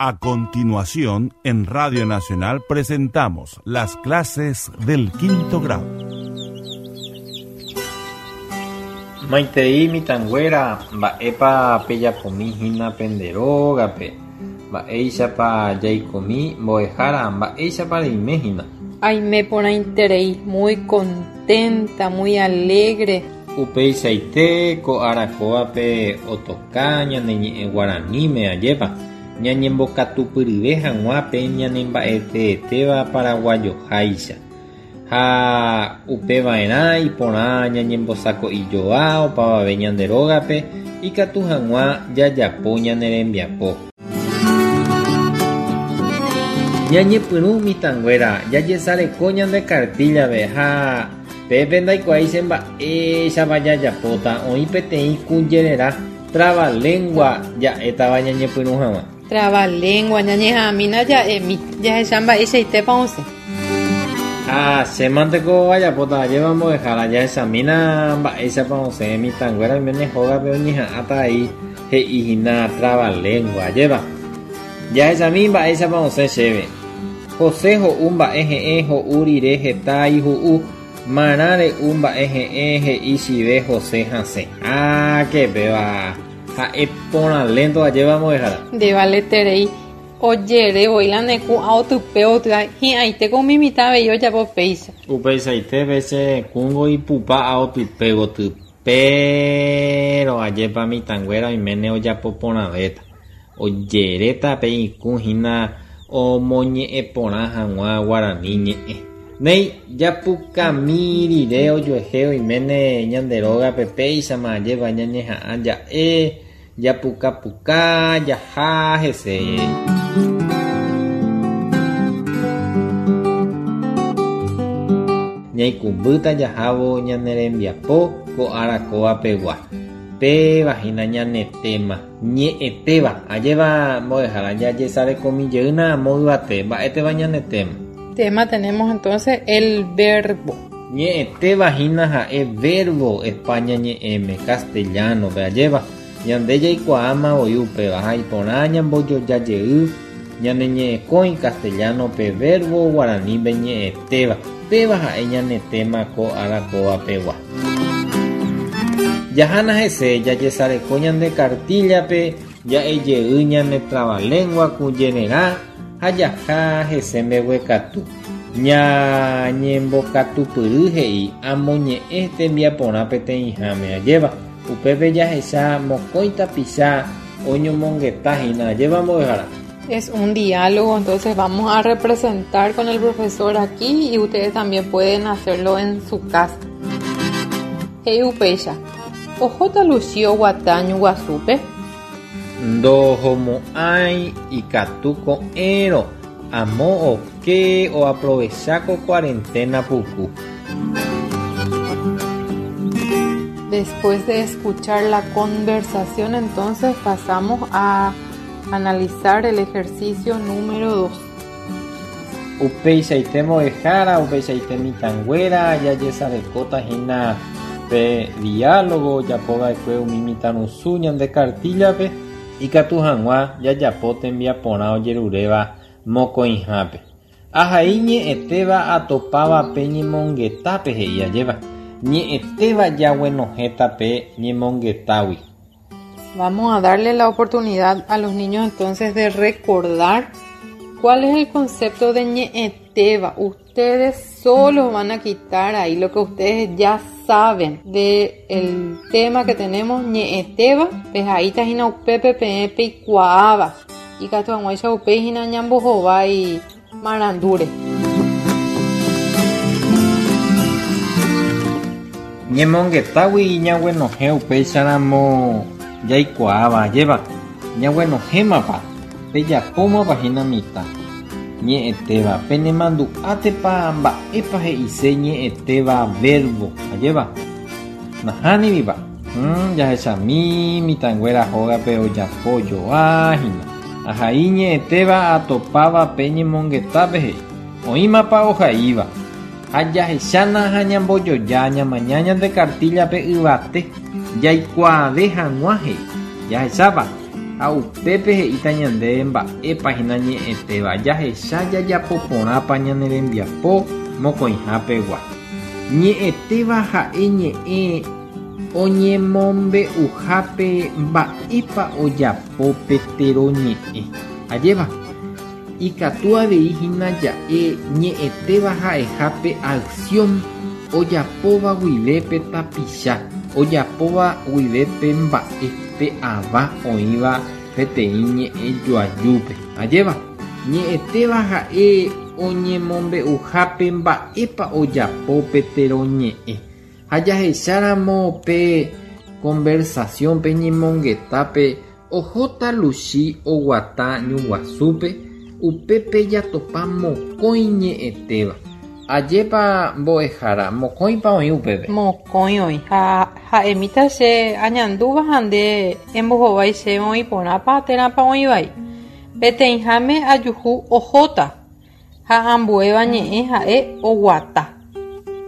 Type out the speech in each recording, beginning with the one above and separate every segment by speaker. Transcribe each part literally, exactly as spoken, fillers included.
Speaker 1: A continuación, en Radio Nacional presentamos las clases del quinto grado.
Speaker 2: Maitei mitãnguéra mba'épa pejapomi hína penderógape, mba'éichapa jaikomi mbo'ehára, mba'éichapa reime hína.
Speaker 3: Aime porãiterei, muy contenta, muy alegre.
Speaker 2: Upeichaite ko ára kóvape otoka ñane ñe'ẽ guaraníme ajépa ñañembokatupyryve hag̃ua pe ñanemba'eteetéva paraguayoháicha ha upeva'erã iporã ñañembosako'ijoa opavave ñande rógape ikatu hag̃ua jajapo ñane rembiapo. Ñañepyrũ mitãnguéra jajesareko ñande kartíllape ha pépe ndaikuaái che mba'éichapa jajapóta oĩ peteĩ kũjererã trabalengua ja'étava ñañepyrũ hag̃ua.
Speaker 3: Trabalengua ñañeha'ãmína ja'émi jahecha mba'eichaitépa osẽ.
Speaker 2: Ha chémanteko ajapóta ajépa mbo'ehára jahechamína mba'éichapa osẽ mitãnguéra oiméne hógape oñeha'ãta avei he'ihína trabalengua ajépa. Jahechami mba'éichapa osẽ chéve. José ho'u mba'e he'ẽ ho'u rire heta ihu'u marã re'u mba'e he'ẽ he'i chive José hasẽ. Háke péva ha'e porãlénto ajépa mbo'ehára.
Speaker 3: Ndevaleterei ojere voi la ne kũ aotype oty'a hi'ãitéko umi mitã avei ojapo péicha.
Speaker 2: Upeichaite che kũngo ipupa aotype goty pero ajépa mitãnguéra oiméne ojapo porãvéta. Ojeréta pe ikũ hína omoñe'ẽ porã hag̃ua guarani ñe'ẽ. Néi japukami rire ojuehe oiméne ñande rógape péichama ajépa ñañeha'ã ja'e japukapuka jaha hese. Ñaikũmbýta jahávo ñane rembiapo ko ára kóvapegua. Péva hína ñane tema ñe'ẽtéva ajépa mbo'ehára jajesarekomijeýna amo yvate mba'éteva ñane tema.
Speaker 3: Tema tenemos entonces el verbo.
Speaker 2: Ñe'ẽtéva hína ha'e verbo España ñe'ẽme castellano-pe ajépa ñande jaikuaáma voi upéva ha iporã ñambojojajey ñane ñe'ẽkõi castellano-pe verbo guaranípe ñe'ẽtéva péva ha'e ñane tema ko ára kóvapegua. Jahána hese jajesareko ñande kartíllape ja'ejey ñane trabalengua kũjererã ha jaha hese mbeguekatu. Ñañembokatupyry he'i amoñe'ẽ tembiaporã peteĩháme ajépa upépe jahecha mokõi tapicha oñomongetahína ajépa mbo'ehára.
Speaker 3: Es un diálogo, entonces vamos a representar con el profesor aquí y ustedes también pueden hacerlo en su casa. He'i upéicha ohóta Luchi oguata Ñuguasúpe.
Speaker 2: Ndohomo'ãi ikatu ko'ẽrõ amo oke oaprovecha ko cuarentena puku.
Speaker 3: Después de escuchar la conversación, entonces pasamos a analizar el ejercicio número dos.
Speaker 2: Upeichaite mbo'ehára, upeichaite mitãnguéra jajesarekóta hína pe diálogo ojapova'ekue umi mitãrusu ñande kartíllape ikatu hag̃ua jajapo tembiaporã ojeruréva mokõihápe. Ahai ñe'ẽtéva atopáva pe ñemongetápe he'i ajépa. Ñe'ẽtéva jaguenohẽta pe ñemongetágui.
Speaker 3: Vamos a darle la oportunidad a los niños entonces de recordar cuál es el concepto de ñe'ẽtéva. Ustedes solo van a quitar ahí lo que ustedes ya saben de el tema que tenemos ñe'ẽtéva, pues ahí está hína upépe peẽ peikuaáva. Ikatu hag̃uáicha upéi hína ñambohovái marandúre.
Speaker 2: Ñemongetágui ñaguenohẽ upéicharamo jaikuaáva ajépa ñaguenohẽmapa pejapómapa hína mitã. Ñe'ẽtéva penemandu'átepa mba'épa he'ise ñe'ẽtéva verbo ajépa nahániripa mm, jahechami mitãnguéra hógape ojapo joa hína. Ahai ñe'ẽtéva atopáva pe ñemongetápe he'i oĩmapa ohaíva ha jahechána ha ñambojoja ñamaña ñande kartíllape yvate jaikuaave hag̃ua he'i jahechápa Ha upépe he'íta ñandéve mba'épa hína ñe'ẽtéva jahecha jajapo porãpa ñane rembiapo mokõihapegua. Ñe'ẽtéva ha'e ñe'ẽ oñemombe'uhápe mba'épa ojapo pe teroñe'ẽ. Ajépa ikatu avei hína ja'e ñe'ẽtéva ha'ehápe acción ojapóva guive pe tapicha, ojapóva guive pe mba'e pe ava oĩva peteĩ ñe'ẽ joajúpe. Ajépa ñe'ẽtéva ha'e oñemombe'uhápe mba'épa ojapo pe teroñe'ẽ. Ha jahecháramo pe conversación pe ñemongetápe ohóta Luchi oguata ñu guasúpe upépe jatopa mokõi ñe'ẽtéva. Ajépa mbo'ehára mokõipa oĩ upépe.
Speaker 3: Mokõi oĩ. Ha ha'emíta che añandúva ha nde embohovái chéve oĩ porãpa térãpa oĩ vai. Peteĩháme ajuhu ohóta ha ambuéva ñe'ẽ ha'e oguata.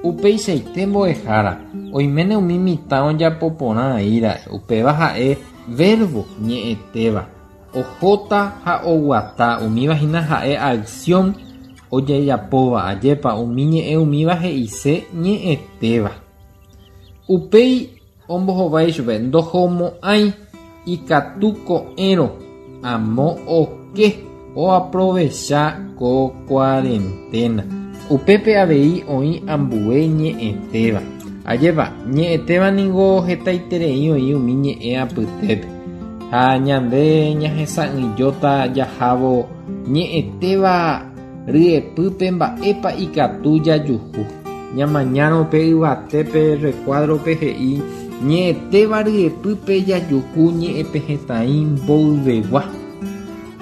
Speaker 2: Upeichaite mbo'ehára oiméne umi mitã ojapo porã aíra'e upéva ha'e verbo ñe'ẽtéva. Ohóta ha oguata umíva hína ha'e acción ojejapóva ajépa umi ñe'ẽ umíva he'ise ñe'ẽtéva. Upéi ombohovái chupe ndohomo'ãi ikatu ko'ẽrõ amo oke oaprovecha ko cuarentena. Upépe avei oĩ ambue ñe'ẽtéva. Ajépa ñe'ẽtéva ningo hetaiterei oĩ umi ñe'ẽ apytépe. Ha ñande ñahesa'ỹijóta jahávo ñe'ẽtéva ryepýpe mba'épa ikatu jajuhu. Ñamañárõ pe yvatépe recuadro-pe he'i ñe'ẽtéva ryepýpe jajuhu ñe'ẽpehẽtai mboyvegua.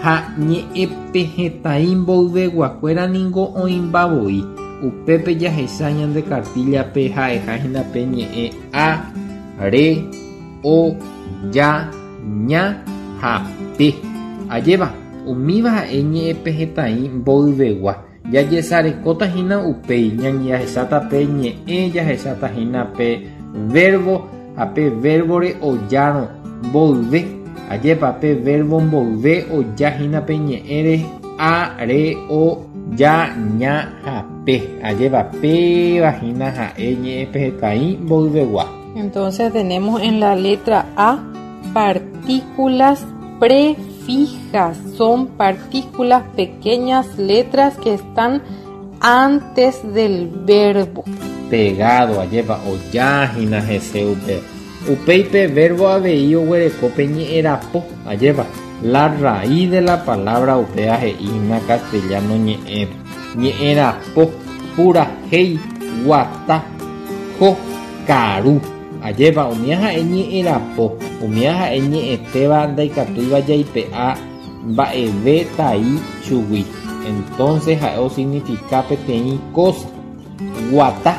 Speaker 2: Ha ñe'ẽpehẽtai mboyveguakuéra ningo oĩmbavoi. Upépe jahecha ñande cartilla-pe ha'eha hína pe ñe'ẽ a, re, o, ya, ña ha pe. Ajépa umíva ha'e ñe'ẽpehẽtai mboyvegua. Jajesarekóta hína upéi jahecháta pe ñe'ẽ jahecháta hína pe verbo ha pe verbore ojárõ mboyve. Ajépa pe verbo mboyve oja hína pe ñe'ẽre a, re, o, ya, ña ha pe. Ajépa péva hína ha'e ñe'ẽpehẽtai mboyvegua.
Speaker 3: Entonces tenemos en la letra A partículas prefijas. Son partículas pequeñas, letras que están antes del verbo.
Speaker 2: Pegado, ajépa oja hína hese upe. Upéi pe verbo avei oguereko pe ñe'ẽrapo, ajépa la raíz de la palabra upéva he'i hína castellano ñe'ẽ. Ñe'ẽrapo, purahéi, guata, jo, karu. Ajépa umíva ha'e ñe'ẽrapo, umíva ha'e ñe'ẽtéva ndaikatúiva jaipe'a mba'eve tai chugui. Entonces ha'e osignifica peteĩ cosa. Guata,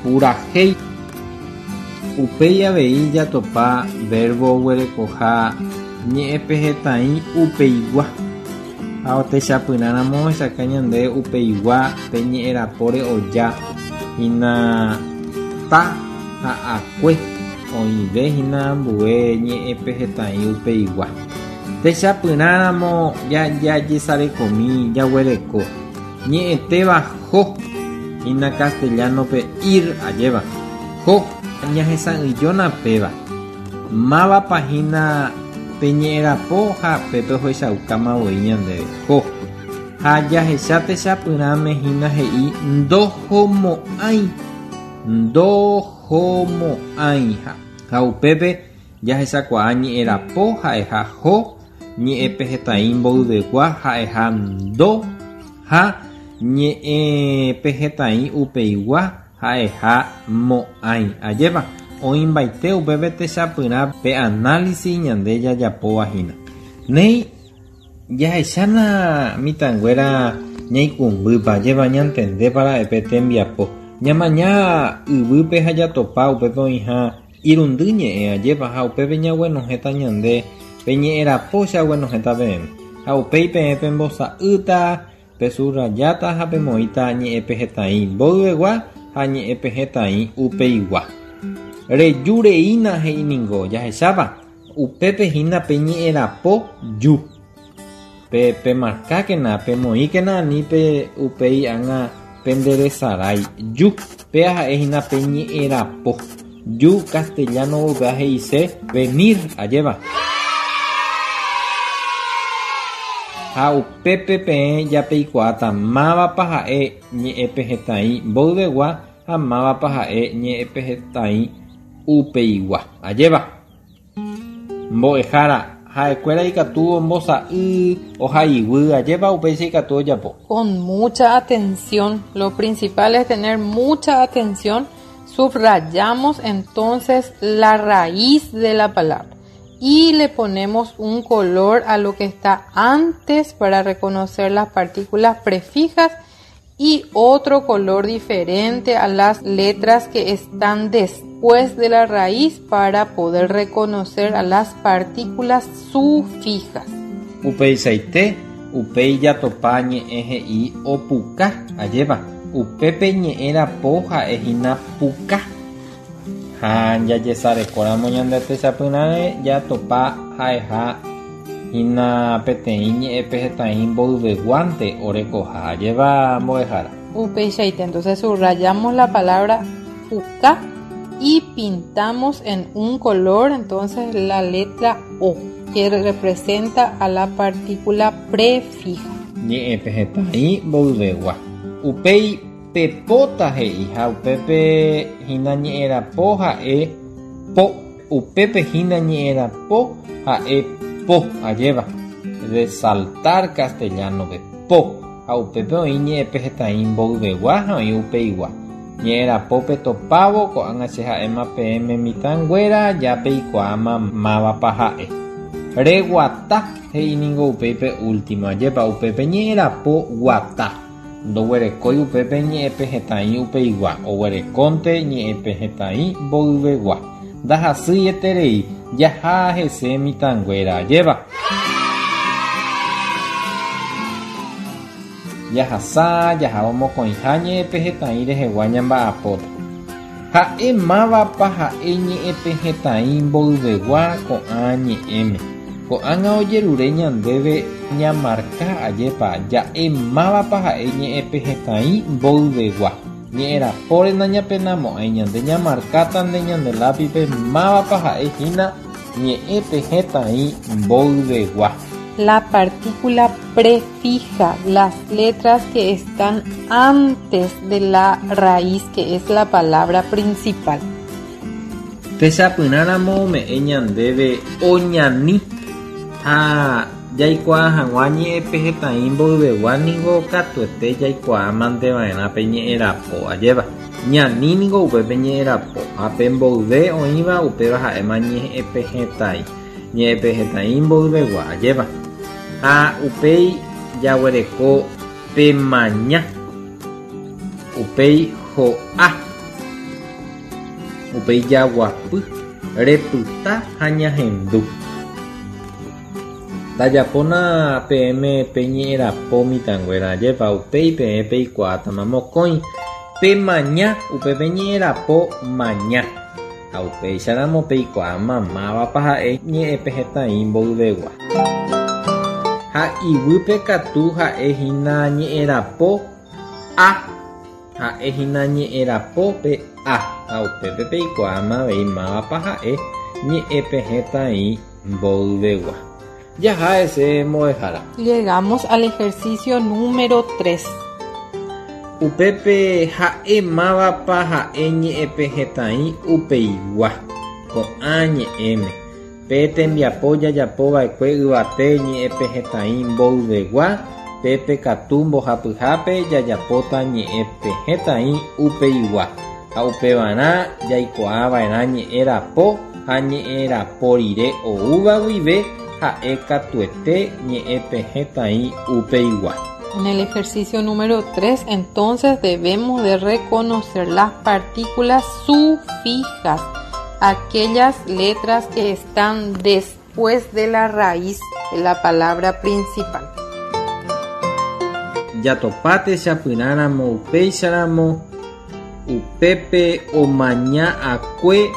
Speaker 2: purahéi. Upéi avei jatopa verbo oguerekoha ñe'ẽpehẽtai upeigua. Ha otechapyrãramo ohechauka ñande upeigua pe ñe'ẽrapóre oja hína ta ha akue oĩve hína ambue ñe'ẽpehẽtai upeigua. Techapyrãramo jajesarekomi jaguereko ñe'ẽtéva jo hína castellano-pe ir ajépa jo ñahesa'ỹijóna péva. Mávapa hína pe ñe'ẽrapo ha pépe ohechaukáma voi ñandéve jo. Ha jahecha techapyrãme hína he'i ndohomo'ãi ndohomo'ãi ha upépe jahechakuaa ñe'ẽrapo ha'eha jo ñe'ẽpehẽtai mboyvegua ha'eha ndo ha ñe'ẽpehẽtai upeigua ha'eha mo'ãi. Ajépa oĩmbaite upépe techapyrã pe análisis ñande jajapóva hína. Néi jahechána mitãnguéra ñaikũmbýpa ajépa ñantendépa ra'e pe tembiapo. Ñamaña yvýpe ha jatopa upépe oĩha irundy ñe'ẽ ajépa ha upépe ñaguenohẽta ñande pe ñe'ẽrapo chaguenohẽta peẽme. Ha upéi peẽ pembosa'ýta pesubrayáta ha pemoĩta ñe'ẽpehẽtai mboyvegua ha ñe'ẽpehẽtai upeigua. Reju reína he'i ningo jahechápa Upépe hína pe ñe'ẽrapo ju. Pe pemarkákena, pemoĩkena ani pe upéi ág̃a penderesarái. Ju, péa ha'ehína pe ñe'ẽrapo. Ju castellano upéva he'ise venir, ajéva. Ha upépe peẽ japeikuaáta mávapa ha'e ñe'ẽpehẽtai mboyvegua ha mávapa ha'e ñe'ẽpehẽtai upeigua, ajéva. Mbo'ehára ha'ekuéra ikatu ombosa'y ohaiguy, ajépa upéicha ikatu ojapo.
Speaker 3: Con mucha atención, lo principal es tener mucha atención. Subrayamos entonces la raíz de la palabra y le ponemos un color a lo que está antes para reconocer las partículas prefijas y otro color diferente a las letras que están después de la raíz para poder reconocer a las partículas sufijas.
Speaker 2: Upeichaite, upéi jatopa ñe'ẽ he'i opuka, ajépa. Upépe ñe'ẽrapo ha'ehína puka. Ha jajesarekóramo ñande techapyrãre jatopa ha'eha hína peteĩ ñe'ẽpehẽtai mboyveguánte orekoha, ajépa mbo'ehára.
Speaker 3: Upeichaite, entonces subrayamos la palabra puka y pintamos en un color entonces la letra O, que representa a la partícula prefija.
Speaker 2: Ñe'ẽpehẽtai mboyvegua. Upéi pepóta he'i ha upépe hína ñe'ẽrapo ha'e po. Upépe hína ñe'ẽrapo ha'e po, ajéva. De saltar castellano-pe, po. Ha upépe oĩ ñe'ẽpehẽtai mboyvegua ha oĩ upeigua. Ñe'ẽrapo petopávo ko'ág̃a che ha'éma peẽme mitãnguéra japeikuaáma mávapa ha'e. Reguata he'i ningo upéipe último, ajépa upépe ñe'ẽrapo guata. Ndoguerekói upépe ñe'ẽpehẽtai upeigua, oguerekónte ñe'ẽpehẽtai mboyvegua. Ndahasýieterei jaha hese mitãnguéra, ajépa. Jahasa jahávo mokõiha ñe'ẽpehẽtai rehegua ñamba'apóta. Ha'e mávapa ha'e ñe'ẽpehẽtai mboyvegua ko'ã ñe'ẽme. Ko'ág̃a ojerure ñandéve ñamarka ajépa ja'e mávapa ha'e ñe'ẽpehẽtai mboyvegua. Ñe'ẽrapóre nañapenamo'ãi ñande ñamarkáta nde ñande lápipe mávapa ha'ehína ñe'ẽpehẽtai mboyvegua.
Speaker 3: La partícula prefija, las letras que están antes de la raíz, que es la palabra principal.
Speaker 2: Techapyrãramo ome'ẽ ñandéve oñani ha jaikuaa hag̃ua ñe'ẽpehẽtai mboyvegua ningo katuete jaikuaamanteva'erã pe ñe'ẽrapo, ajépa. Ñani ningo upépe ñe'ẽrapo ha pe mboyve oĩva upéva ha'éma ñe'ẽpehẽtai. Ñe'ẽpehẽtai mboyvegua, ajépa. Ha upéi jaguereko pemaña, upéi ho'a, upéi jaguapy, repyta ha ñahendu. Ndajapóna peẽme pe ñe'ẽrapo mitãnguéra, ajépa upéi peẽ peikuaátama mokõi. Pemaña, upépe ñe'ẽrapo maña. Ha upéicharamo peikuaáma mávapa ha'e ñe'ẽpehẽtai mboyvegua. Ha iguýpe katu ha'ehína ñe'ẽrapo a. Ha'ehína ñe'ẽrapo pe a. Ha upépe peikuaáma avei mávapa ha'e ñe'ẽpehẽtai mboyvegua. Jaha hese mbo'ehára.
Speaker 3: Llegamos al ejercicio número tres.
Speaker 2: Upépe ha'e mávapa ha'e ñe'ẽpehẽtai upeigua. Ko'ã ñe'ẽme. Pe tembiapo jajapova'ekue yvate ñe'ẽpehẽtai mboyvegua, pépe katu mbohapyhápe jajapóta ñe'ẽpehẽtai upeigua. Ha upevarã jaikuaava'erã ñe'ẽrapo ha ñe'ẽrapo rire oúva guive ha'e katuete ñe'ẽpehẽtai upeigua.
Speaker 3: En el ejercicio número tres, entonces, debemos de reconocer las partículas sufijas, aquellas letras que están después de la raíz de la palabra principal.
Speaker 2: Jatopáte chapyrãramo upéicharamo upépe omaña akue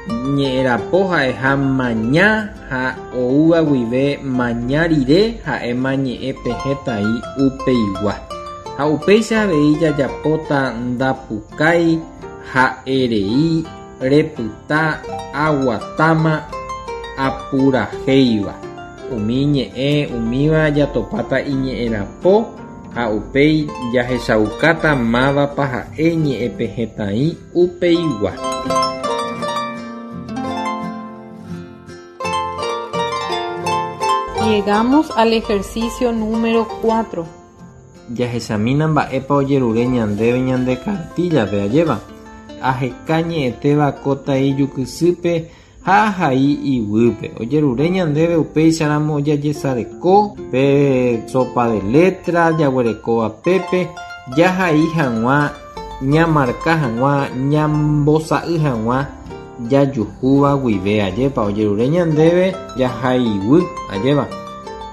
Speaker 2: Ñe'ẽrapo ha'eha maña ha oúva guive maña rire ha'éma ñe'ẽpehẽtai upeigua. Ha upéicha avei jajapóta ndapukái ha'erei repyta aguatáma apurahéiva. Umi ñe'ẽ umíva jatopáta iñe'ẽrapo ha upéi jahechaukáta mávapa ha'e ñe'ẽpehẽtai upeigua.
Speaker 3: Llegamos al ejercicio número cuatro.
Speaker 2: Jahechamína mba'épa ojerure ñandéve ñande cartillape ajéva. Aheka ñe'ẽtéva kóta ijukysýpe ha ahai iguýpe. Ojerure ñandéve upéicharamo jajesareko pe sopa de letra jaguerekóva pépe jahai hag̃ua ñamarka hag̃ua ñambosa'y hag̃ua jajuhúva guive ajépa ojerure ñandéve jahaiguy ajéva.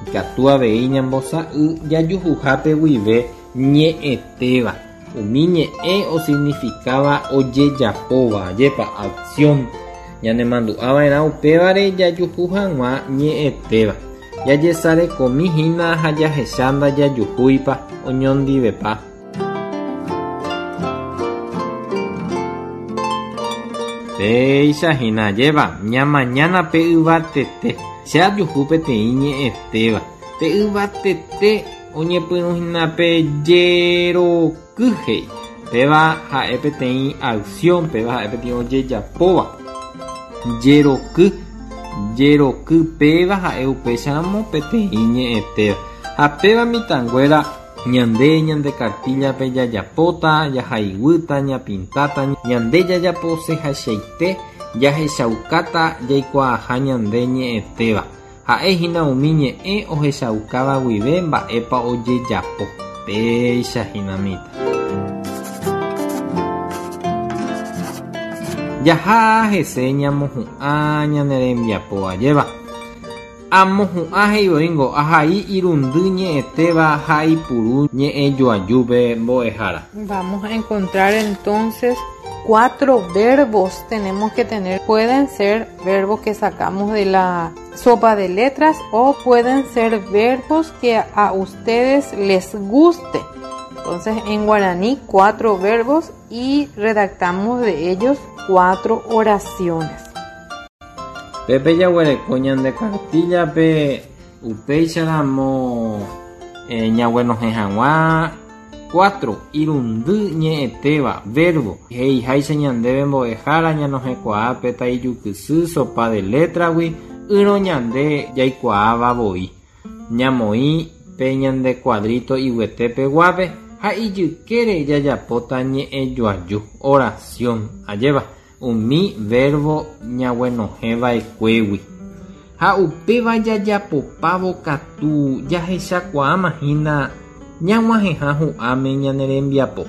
Speaker 2: Ikatu avei ñambosa'y jajuhuhápe guive ñe'ẽtéva. Umi ñe'ẽ osignificaba ojejapóva ajépa acción. Ñanemandu'ava'erã upévare jajuhu hag̃ua ñe'ẽtéva. Jajesarekomíhína ha jahecha ndajajuhúipa oñondivepa. Péicha hína ajéva ñamañána pe yvatete. Che ajuhu peteĩ ñe'ẽtéva. Pe yvatete oñepyrũhína pe jeroky he'i. Péva ha'e peteĩ acción, péva ha'e peteĩ ojejapóva. Jeroky, jeroky péva ha'e upéicharamo peteĩ ñe'ẽtéva. Ha péva mitãnguéra ñande ñande cartillape jajapóta, jahaiguýta, ñapintáta, ñande jajaposehachaite, jahechaukáta jaikuaaha ñande ñe'ẽtéva. Ha'ehína umi ñe'ẽ ohechaukáva guive mba'épa ojejapo. Péicha hína mitã. Jaha hese ñamohu'ã ñane rembiapo ajéva. Amohu'ã he'ivoíngo ahai irundy ñe'ẽtéva ha ipuru ñe'ẽjoajúpe mbo'ehára.
Speaker 3: Vamos a encontrar entonces cuatro verbos tenemos que tener. Pueden ser verbos que sacamos de la sopa de letras o pueden ser verbos que a ustedes les guste. Entonces en guaraní cuatro verbos y redactamos de ellos cuatro oraciones.
Speaker 2: Pepe jaguereko ñande cartillape upéicharamo, eh, ñaguenohẽ hag̃ua cuatro irundy ñe'ẽtéva verbo he'iháicha ñandéve mbo'ehára ñanohẽkuaa pe taijukysy sopa de letragui ỹrõ ñande jaikuaáva voi. Ñamoĩ pe ñande cuadrito iguetépeguápe ha ijykére jajapóta ñe'ẽjoaju oración ajéva umi verbo ñaguenohẽva'ekuégui. Ha upéva jajapopávo katu jahechakuaáma hína ñag̃uahẽha hu'ãme ñane rembiapo.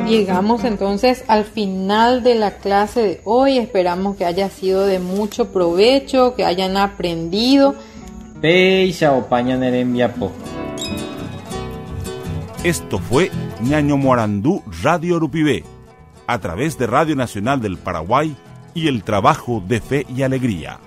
Speaker 3: Llegamos entonces al final de la clase de hoy. Esperamos que haya sido de mucho provecho, que hayan aprendido.
Speaker 2: Péicha opa ñane rembiapo.
Speaker 1: Esto fue Ñaño Morandú Radio Rupivé, a través de Radio Nacional del Paraguay y el trabajo de Fe y Alegría.